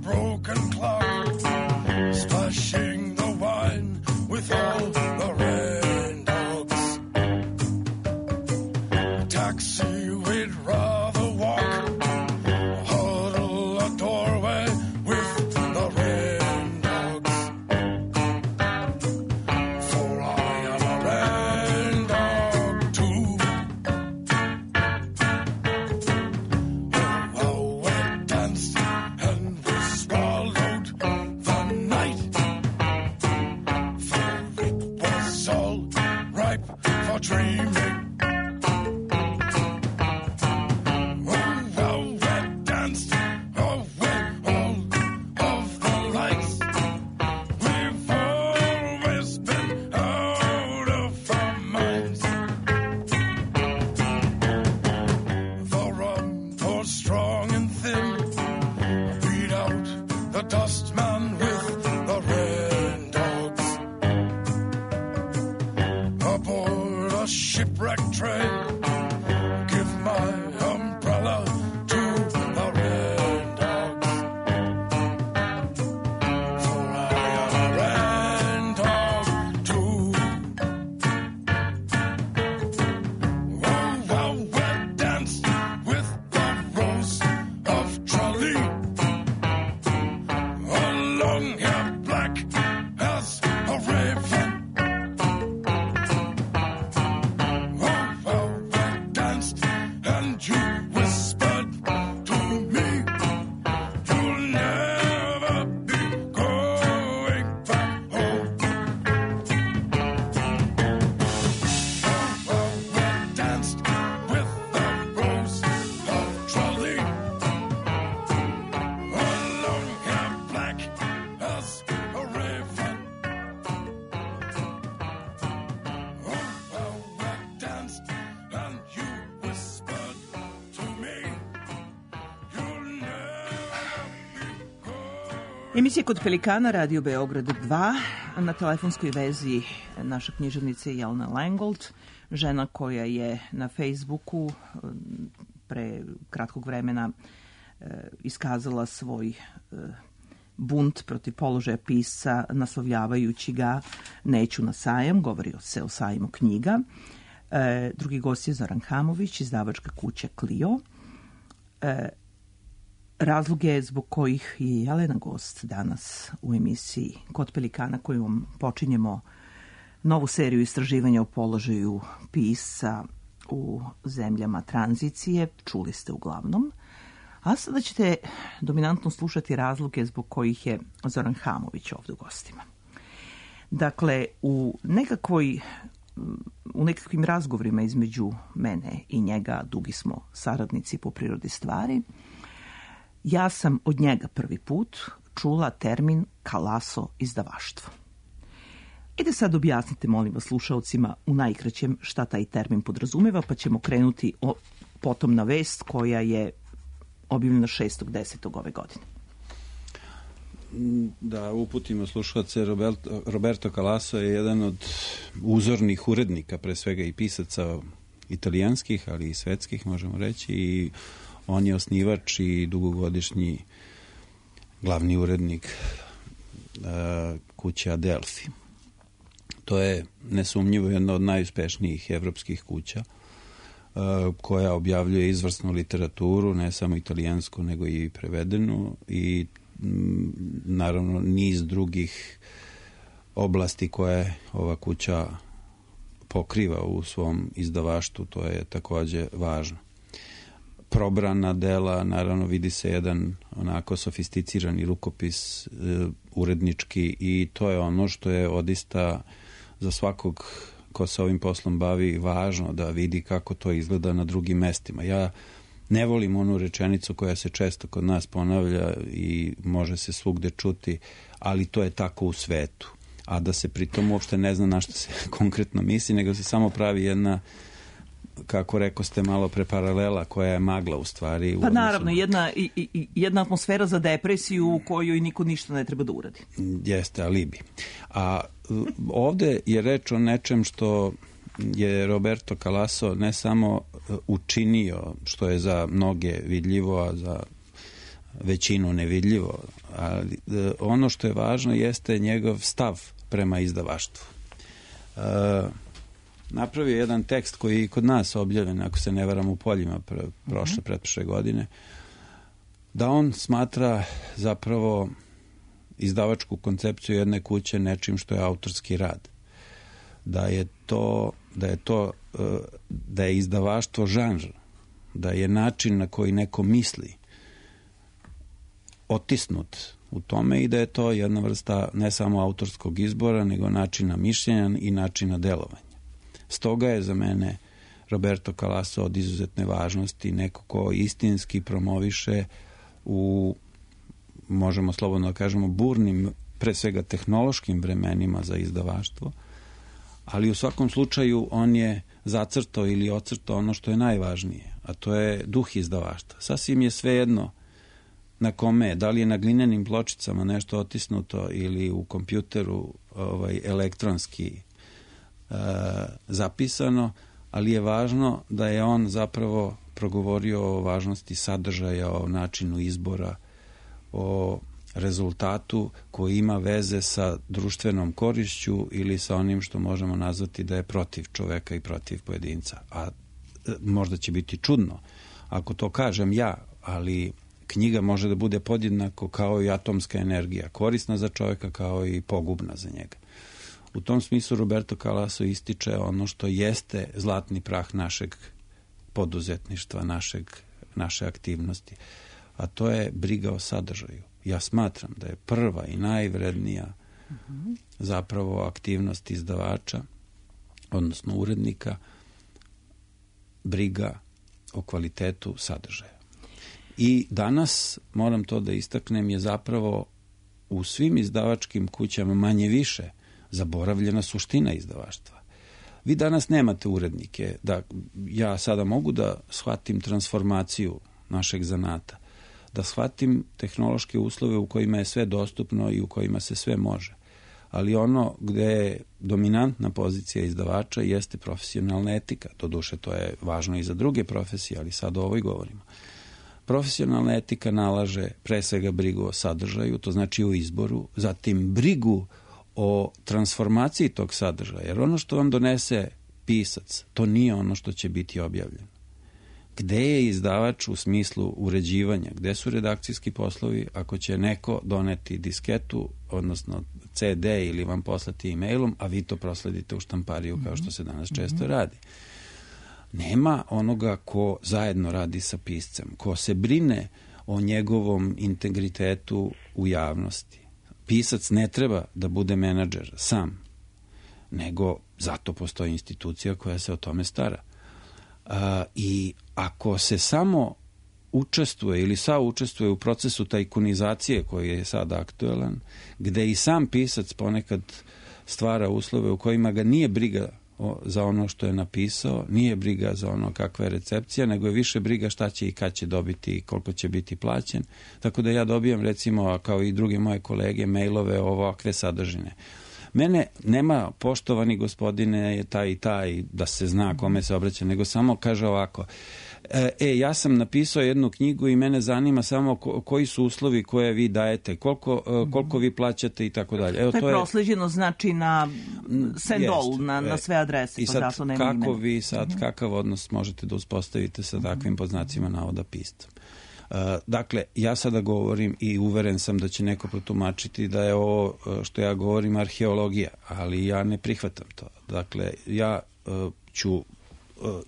Emisija Kod Pelikana, Radio Beograd dva, na telefonskoj vezi naša književnica Jelena Langold, žena koja je na Facebooku pre kratkog vremena iskazala svoj bunt protiv položaja pisca, naslovljavajući ga Neću na sajam, govori se o sajmu knjiga. Drugi gost je Zoran Hamović, izdavačka kuća Clio. Razloge zbog kojih je Jelena gost danas u emisiji Kod Pelikana, kojom počinjemo novu seriju istraživanja o položaju pisca u zemljama tranzicije, čuli ste uglavnom. A sada ćete dominantno slušati razloge zbog kojih je Zoran Hamović ovdje u gostima. Dakle, u nekakvoj u nekakvim razgovorima između mene i njega, dugi smo saradnici po prirodi stvari, ja sam od njega prvi put čula termin kalaso izdavaštvo. Ide sad objasnite, molim vas, slušalcima u najkraćem šta taj termin podrazumeva, pa ćemo krenuti o, potom na vest koja je objavljena šestog desetog ove godine. Da uputimo slušalce, Roberto, Roberto Calasso je jedan od uzornih urednika, pre svega i pisaca italijanskih, ali i svetskih, možemo reći, i on je osnivač i dugogodišnji glavni urednik uh, kuće Adelphi. To je nesumnjivo jedna od najuspešnijih evropskih kuća uh, koja objavljuje izvrsnu literaturu, ne samo italijansku, nego i prevedenu, i m, naravno niz drugih oblasti koje ova kuća pokriva u svom izdavaštvu, to je takođe važno. Probrana dela, naravno vidi se jedan onako sofisticirani rukopis e, urednički, i to je ono što je odista za svakog ko se ovim poslom bavi važno, da vidi kako to izgleda na drugim mestima. Ja ne volim onu rečenicu koja se često kod nas ponavlja i može se svugde čuti, ali to je tako u svetu. A da se pritom uopšte ne zna na što se konkretno misli, nego se samo pravi jedna, kako rekao ste malo pre, paralela koja je magla u stvari. Pa naravno, jedna, i, i, jedna atmosfera za depresiju u kojoj niko ništa ne treba da uradi. Jeste, alibi. A ovde je reč o nečem što je Roberto Calasso ne samo učinio, što je za mnoge vidljivo, a za većinu nevidljivo, ali ono što je važno jeste njegov stav prema izdavaštvu. Uh, napravio jedan tekst koji je kod nas objavljen, ako se ne varam, u Poljima pre, prošle, pretprošle godine, da on smatra zapravo izdavačku koncepciju jedne kuće nečim što je autorski rad. Da je to, da je to, da je izdavaštvo žanr, da je način na koji neko misli otisnut u tome i da je to jedna vrsta ne samo autorskog izbora, nego načina mišljenja i načina delovanja. Stoga je za mene Roberto Calasso od izuzetne važnosti, neko ko istinski promoviše u, možemo slobodno da kažemo, burnim, pre svega tehnološkim vremenima za izdavaštvo, ali u svakom slučaju on je zacrtao ili ocrtao ono što je najvažnije, a to je duh izdavaštva. Sasvim je svejedno na kome, da li je na glinenim pločicama nešto otisnuto ili u kompjuteru ovaj, elektronski e, zapisano, ali je važno da je on zapravo progovorio o važnosti sadržaja, o načinu izbora, o rezultatu koji ima veze sa društvenom korišću ili sa onim što možemo nazvati da je protiv čoveka i protiv pojedinca. A e, možda će biti čudno ako to kažem ja, ali knjiga može da bude podjednako kao i atomska energija, korisna za čovjeka kao i pogubna za njega. U tom smislu Roberto Calasso ističe ono što jeste zlatni prah našeg poduzetništva, našeg, naše aktivnosti, a to je briga o sadržaju. Ja smatram da je prva i najvrednija uh-huh. zapravo aktivnost izdavača, odnosno urednika, briga o kvalitetu sadržaja. I danas, moram to da istaknem, je zapravo u svim izdavačkim kućama manje više zaboravljena suština izdavaštva. Vi danas nemate urednike, da ja sada mogu da shvatim transformaciju našeg zanata, da shvatim tehnološke uslove u kojima je sve dostupno i u kojima se sve može. Ali ono gde je dominantna pozicija izdavača jeste profesionalna etika. Doduše, to je važno i za druge profesije, ali sad o ovoj govorimo. Profesionalna etika nalaže pre svega brigu o sadržaju, to znači o izboru, zatim brigu o transformaciji tog sadržaja, jer ono što vam donese pisac, to nije ono što će biti objavljeno. Gde je izdavač u smislu uređivanja, gde su redakcijski poslovi ako će neko doneti disketu, odnosno ce de ili vam poslati e-mailom, a vi to prosledite u štampariju kao što se danas često radi. Nema onoga ko zajedno radi sa piscem, ko se brine o njegovom integritetu u javnosti. Pisac ne treba da bude menadžer sam, nego zato postoji institucija koja se o tome stara. A, I ako se samo učestvuje ili saučestvuje u procesu tajkunizacije koji je sada aktuelan, gde i sam pisac ponekad stvara uslove u kojima ga nije briga o, za ono što je napisao, nije briga za ono kakva je recepcija, nego je više briga šta će i kad će dobiti i koliko će biti plaćen. Tako da ja dobijam, recimo, kao i druge moje kolege, mailove ovakve sadržine. Mene nema, poštovani gospodine, taj i taj, da se zna kome se obraća, nego samo kaže ovako, e, ja sam napisao jednu knjigu i mene zanima samo ko, koji su uslovi koje vi dajete, koliko, koliko vi plaćate i tako dalje. Evo, to je to prosleđeno, je, znači, na send-all, jest, na, na sve adrese. I pa sad, zato nema kako imena. vi sad, mm-hmm. kakav odnos možete da uspostavite sa takvim poznacima navoda piscem? Uh, dakle, ja sada govorim i uveren sam da će neko protumačiti da je ovo što ja govorim arheologija, ali ja ne prihvatam to. Dakle, ja uh, ću uh,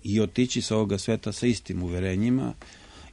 i otići sa ovoga sveta sa istim uverenjima.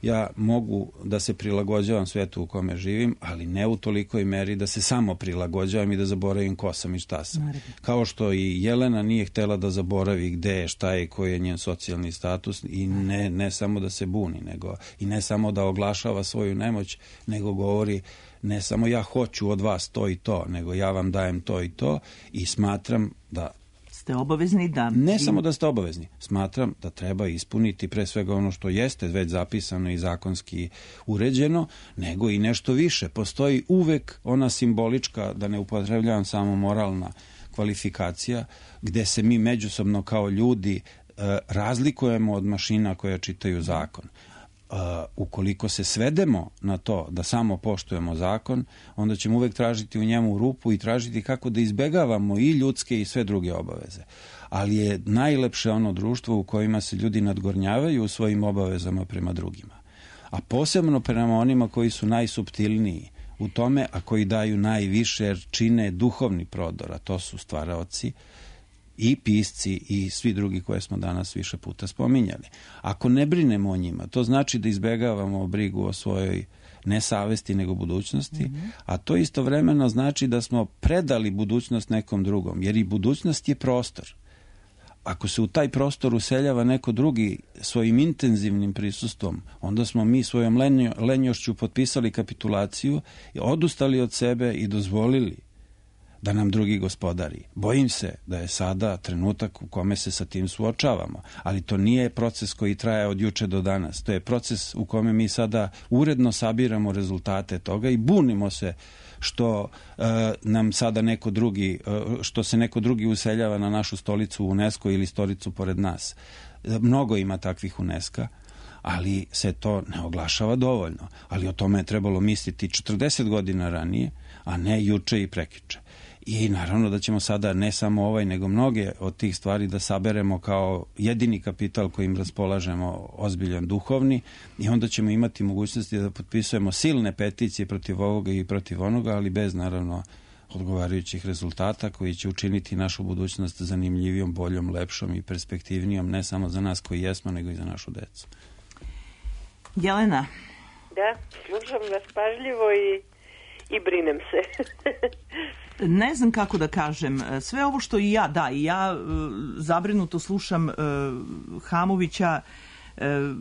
Ja mogu da se prilagođavam svetu u kome živim, ali ne u tolikoj meri da se samo prilagođavam i da zaboravim ko sam i šta sam. Naravno. Kao što i Jelena nije htela da zaboravi gde je, šta je, koji je njen socijalni status i ne, ne samo da se buni, nego i ne samo da oglašava svoju nemoć, nego govori ne samo ja hoću od vas to i to, nego ja vam dajem to i to i smatram da ste obavezni da... Ne samo da ste obavezni. Smatram da treba ispuniti pre svega ono što jeste već zapisano i zakonski uređeno, nego i nešto više. Postoji uvek ona simbolička, da ne upotrebljavam samo moralna kvalifikacija, gde se mi međusobno kao ljudi e, razlikujemo od mašina koje čitaju zakon. Uh, ukoliko se svedemo na to da samo poštujemo zakon, onda ćemo uvek tražiti u njemu rupu i tražiti kako da izbegavamo i ljudske i sve druge obaveze. Ali je najlepše ono društvo u kojima se ljudi nadgornjavaju u svojim obavezama prema drugima. A posebno prema onima koji su najsuptilniji u tome, a koji daju najviše jer čine duhovni prodor, a to su stvaraoci, i pisci i svi drugi koje smo danas više puta spominjali. Ako ne brinemo o njima, to znači da izbegavamo brigu o svojoj ne savesti nego budućnosti, mm-hmm. a to istovremeno znači da smo predali budućnost nekom drugom, jer i budućnost je prostor. Ako se u taj prostor useljava neko drugi svojim intenzivnim prisustvom, onda smo mi svojom lenjo, lenjošću potpisali kapitulaciju, odustali od sebe i dozvolili da nam drugi gospodari. Bojim se da je sada trenutak u kome se sa tim suočavamo, ali to nije proces koji traje od juče do danas. To je proces u kome mi sada uredno sabiramo rezultate toga i bunimo se što uh, nam sada neko drugi, uh, što se neko drugi useljava na našu stolicu u UNESCO ili stolicu pored nas. Mnogo ima takvih UNESCO, ali se to ne oglašava dovoljno. Ali o tome je trebalo misliti četrdeset godina ranije, a ne juče i prekjuče. I naravno da ćemo sada ne samo ovaj, nego mnoge od tih stvari da saberemo kao jedini kapital kojim raspolažemo, ozbiljan duhovni, i onda ćemo imati mogućnosti da potpisujemo silne peticije protiv ovoga i protiv onoga, ali bez naravno odgovarajućih rezultata koji će učiniti našu budućnost zanimljivijom, boljom, lepšom i perspektivnijom, ne samo za nas koji jesmo, nego i za našu decu. Jelena. Da, slušam vas pažljivo i, i brinem se. Ne znam kako da kažem. Sve ovo što i ja, da, i ja zabrinuto slušam Hamovića,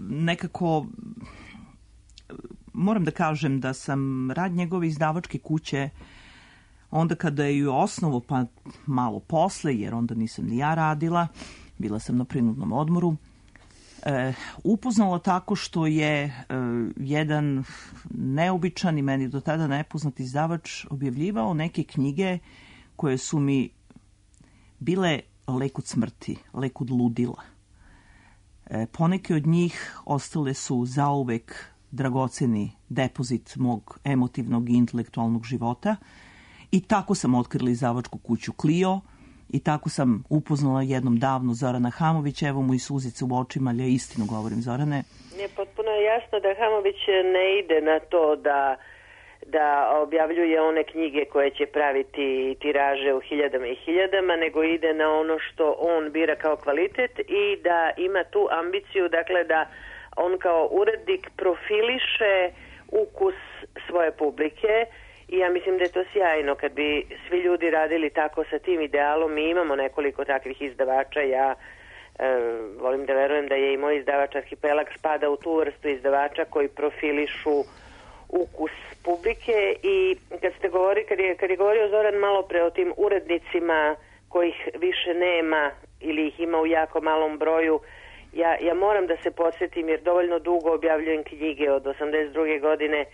nekako moram da kažem da sam rad njegove izdavačke kuće onda kada je ju osnovu, pa malo posle, jer onda nisam ni ja radila, bila sam na prinudnom odmoru, e, upoznala tako što je e, jedan neobičan i meni do tada nepoznat izdavač objavljivao neke knjige koje su mi bile lek od smrti, lek od ludila. E, poneke od njih ostale su zauvek dragoceni depozit mog emotivnog i intelektualnog života i tako sam otkrila izdavačku kuću Clio i tako sam upoznala jednom davno Zorana Hamovića. Evo mu i suzice u očima, ali ja istinu govorim, Zorane. Je potpuno jasno da Hamović ne ide na to da da objavljuje one knjige koje će praviti tiraže u hiljadama i hiljadama, nego ide na ono što on bira kao kvalitet i da ima tu ambiciju, dakle da on kao urednik profiliše ukus svoje publike i ja mislim da je to sjajno kad bi svi ljudi radili tako sa tim idealom. Mi imamo nekoliko takvih izdavača, ja e, volim da verujem da je i moj izdavač Arhipelag spada u tu vrstu izdavača koji profilišu ukus publike i kad ste govori, kad je, kad je govorio Zoran malo pre o tim urednicima kojih više nema ili ih ima u jako malom broju, ja, ja moram da se podsjetim jer dovoljno dugo objavljujem knjige od osamdeset druge godine.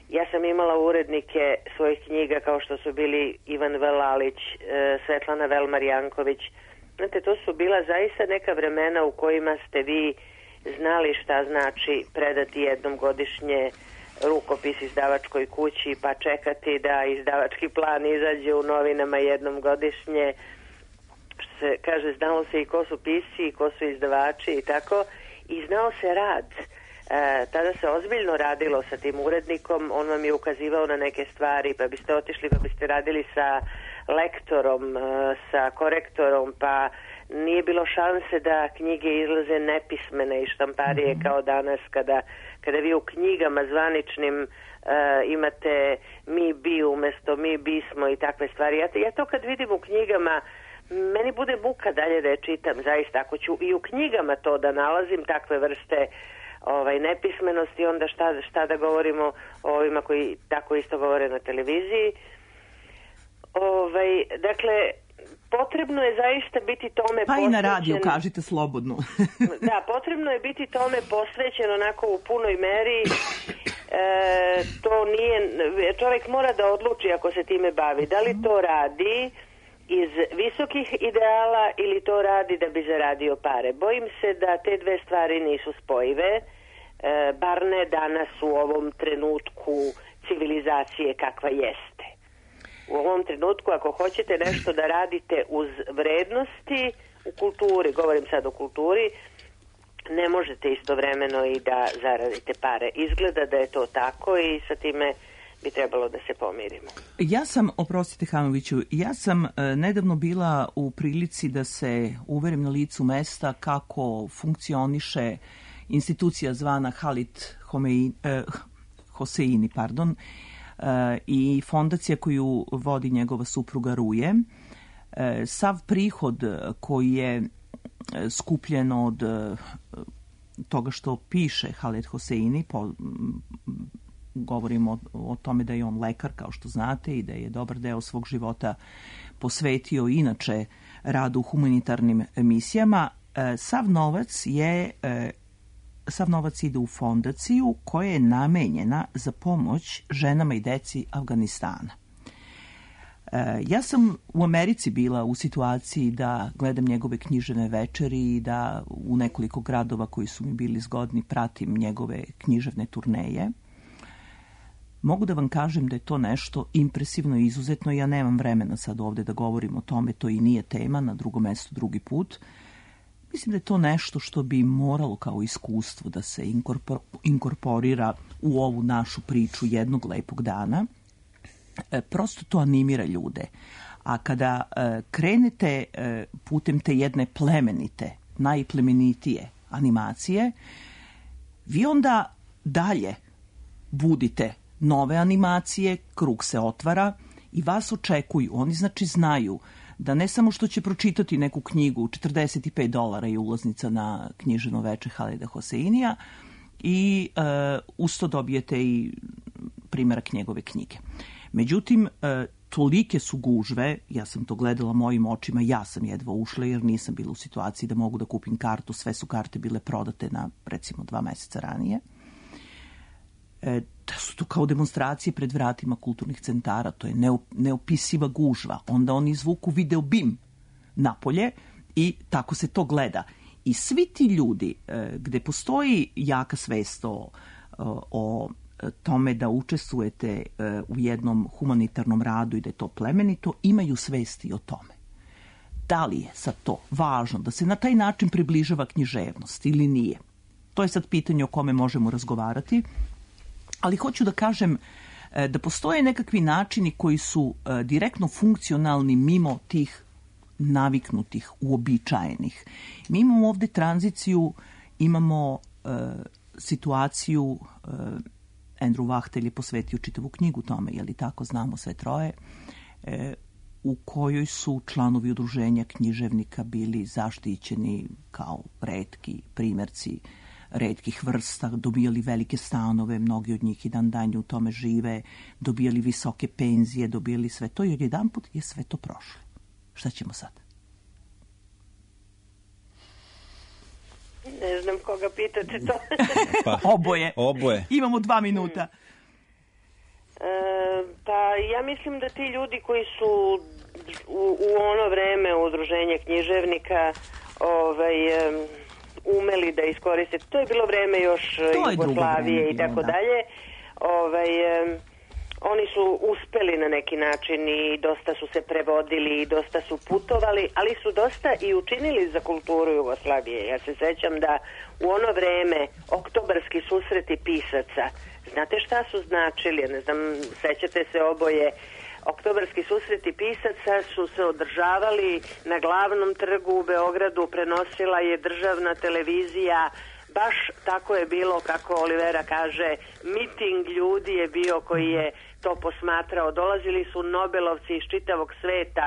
Ja sam imala urednike svojih knjiga kao što su bili Ivan Velalić, Svetlana Velmar-Janković. Znate, to su bila zaista neka vremena u kojima ste vi znali šta znači predati jednom godišnje rukopis izdavačkoj kući pa čekati da izdavački plan izađe u novinama jednom godišnje. Što se kaže, znalo se i ko su pisci i ko su izdavači i tako. I znao se rad. E, tada se ozbiljno radilo sa tim urednikom, on vam je ukazivao na neke stvari, pa biste otišli pa biste radili sa lektorom, e, sa korektorom, pa nije bilo šanse da knjige izlaze nepismene i štamparije mm-hmm. kao danas kada, kada vi u knjigama zvaničnim e, imate mi bi umesto mi bismo i takve stvari. Ja, ja to kad vidim u knjigama, meni bude muka dalje da je čitam, zaista. Ako ću i u knjigama to da nalazim, takve vrste ovaj, nepismenosti, onda šta, šta da govorimo o ovima koji tako isto govore na televiziji. Ovaj, dakle, potrebno je zaista biti tome pa posvećen. Pa i na radiju, kažite slobodno. Da, potrebno je biti tome posvećen onako u punoj meri. E, to nije, čovjek mora da odluči ako se time bavi. Da li to radi iz visokih ideala ili to radi da bi zaradio pare. Bojim se da te dve stvari nisu spojive, e, bar ne danas u ovom trenutku civilizacije kakva jeste. U ovom trenutku ako hoćete nešto da radite uz vrednosti u kulturi, govorim sad o kulturi, ne možete istovremeno i da zaradite pare. Izgleda da je to tako i sa time bi trebalo da se pomirimo. Ja sam, oprostite Hamoviću, ja sam e, nedavno bila u prilici da se uverim na licu mesta kako funkcioniše institucija zvana Halit Homeini, e, Hoseini, pardon, e, i fondacija koju vodi njegova supruga Ruje. E, sav prihod koji je skupljen od e, toga što piše Halit Hoseini, po, govorimo o, o tome da je on lekar, kao što znate, i da je dobar deo svog života posvetio inače radu u humanitarnim misijama. E, sav novac je e, sav novac ide u fondaciju koja je namenjena za pomoć ženama i deci Afganistana. E, ja sam u Americi bila u situaciji da gledam njegove književne večeri i da u nekoliko gradova koji su mi bili zgodni pratim njegove književne turneje. Mogu da vam kažem da je to nešto impresivno i izuzetno. Ja nemam vremena sad ovde da govorim o tome, to i nije tema, na drugom mestu drugi put. Mislim da je to nešto što bi moralo kao iskustvo da se inkorpor, inkorporira u ovu našu priču jednog lepog dana. E, prosto to animira ljude. A kada e, krenete e, putem te jedne plemenite, najplemenitije animacije, vi onda dalje budite nove animacije, krug se otvara i vas očekuju. Oni znači znaju da ne samo što će pročitati neku knjigu, četrdeset pet dolara je ulaznica na književno veče Halida Hoseinija i e, usto dobijete i primjerak njegove knjige. Međutim, e, tolike su gužve, ja sam to gledala mojim očima, ja sam jedva ušla jer nisam bila u situaciji da mogu da kupim kartu, sve su karte bile prodate na recimo dva meseca ranije. E, da su to kao demonstracije pred vratima kulturnih centara, to je neopisiva gužva. Onda oni izvuku video bim napolje i tako se to gleda. I svi ti ljudi e, gde postoji jaka svest o, o tome da učestvujete u jednom humanitarnom radu i da je to plemenito, imaju svesti o tome. Da li je sad to važno da se na taj način približava književnost ili nije? To je sad pitanje o kome možemo razgovarati, ali hoću da kažem da postoje nekakvi načini koji su direktno funkcionalni mimo tih naviknutih, uobičajenih. Mi imamo ovde tranziciju, imamo uh, situaciju, uh, Andrew Wachtel je posvetio čitavu knjigu tome, je li tako, znamo sve troje, e, u kojoj su članovi udruženja književnika bili zaštićeni kao retki primjerci retkih vrsta, dobijali velike stanove, mnogi od njih i dan danje u tome žive, dobijali visoke penzije, dobijali sve to i odjedanput je sve to prošlo. Šta ćemo sad? Ne znam koga pitate to. Pa, oboje. Oboje. Imamo dva minuta. E, pa ja mislim da ti ljudi koji su u, u ono vreme udruženja književnika ovaj, umeli da iskoriste, to je bilo vreme još Jugoslavije i tako dalje, ovaj, oni su uspeli na neki način i dosta su se prevodili i dosta su putovali, ali su dosta i učinili za kulturu Jugoslavije. Ja se sećam da u ono vreme oktobarski susreti pisaca, znate šta su značili? Ne znam, sećate se oboje. Oktobarski susreti pisaca su se održavali na glavnom trgu u Beogradu, prenosila je državna televizija. Baš tako je bilo, kako Olivera kaže, miting ljudi je bio koji je to posmatrao. Dolazili su Nobelovci iz čitavog sveta.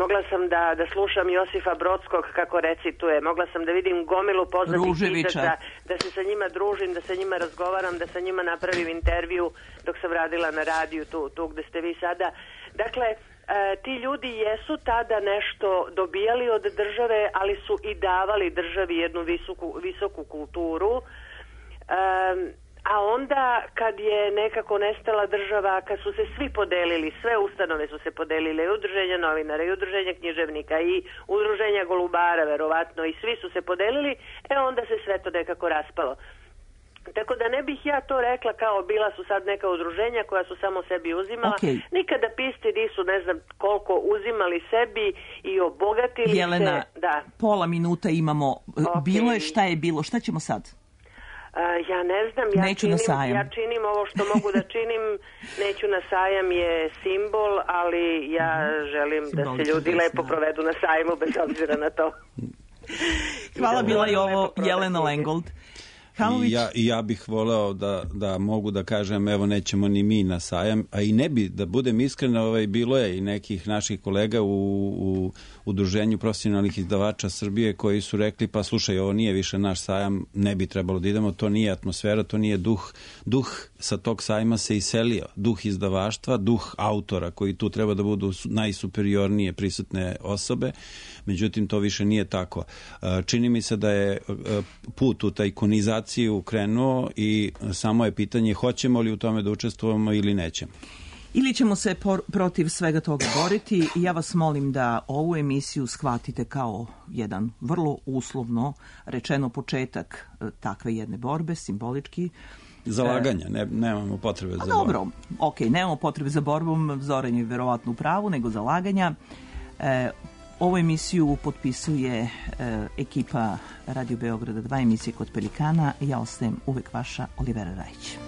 Mogla sam da, da slušam Josifa Brodskog kako recituje. Mogla sam da vidim gomilu poznatih pisaca, da se sa njima družim, da sa njima razgovaram, da sa njima napravim intervju dok sam radila na radiju tu, tu gde ste vi sada. Dakle, E, ti ljudi jesu tada nešto dobijali od države, ali su i davali državi jednu visoku, visoku kulturu. E, a onda kad je nekako nestala država, kad su se svi podelili, sve ustanove su se podelile, i udruženja novinara, i udruženja književnika, i udruženja golubara, verovatno, i svi su se podelili, e onda se sve to nekako raspalo. Tako da ne bih ja to rekla kao bila su sad neka udruženja koja su samo sebi uzimala. Okay. Nikada pisti nisu ne znam koliko uzimali sebi i obogatili Jelena, se. Da. Pola minuta imamo. Okay. Bilo je šta je bilo. Šta ćemo sad? Uh, ja ne znam. Ja neću činim, na sajam. Ja činim ovo što mogu da činim. Neću na sajam je simbol, ali ja želim da se ljudi lepo provedu na sajmu bez obzira na to. Hvala, bila je ovo Jelena Lengold. I ja, I ja bih voleo da, da mogu da kažem, evo nećemo ni mi na sajam, a i ne bi, da budem iskren, ovaj, bilo je i nekih naših kolega u, u udruženju profesionalnih izdavača Srbije koji su rekli, pa slušaj, ovo nije više naš sajam, ne bi trebalo da idemo, to nije atmosfera, to nije duh. Duh sa tog sajma se iselio, duh izdavaštva, duh autora koji tu treba da budu najsuperiornije prisutne osobe, međutim to više nije tako. Čini mi se da je put u tajkunizaciju krenuo i samo je pitanje hoćemo li u tome da učestvujemo ili nećemo. Ili ćemo se por- protiv svega toga boriti. Ja vas molim da ovu emisiju shvatite kao jedan vrlo uslovno rečeno početak takve jedne borbe, simbolički. Zalaganja, ne, nemamo potrebe za borbom. Dobro, ok, nemamo potrebe za borbom, Zoran je verovatno u pravu, nego zalaganja. E, Ovu emisiju potpisuje e, ekipa Radio Beograda dva, emisije Kod Pelikana. Ja ostajem uvek vaša Olivera Rajić.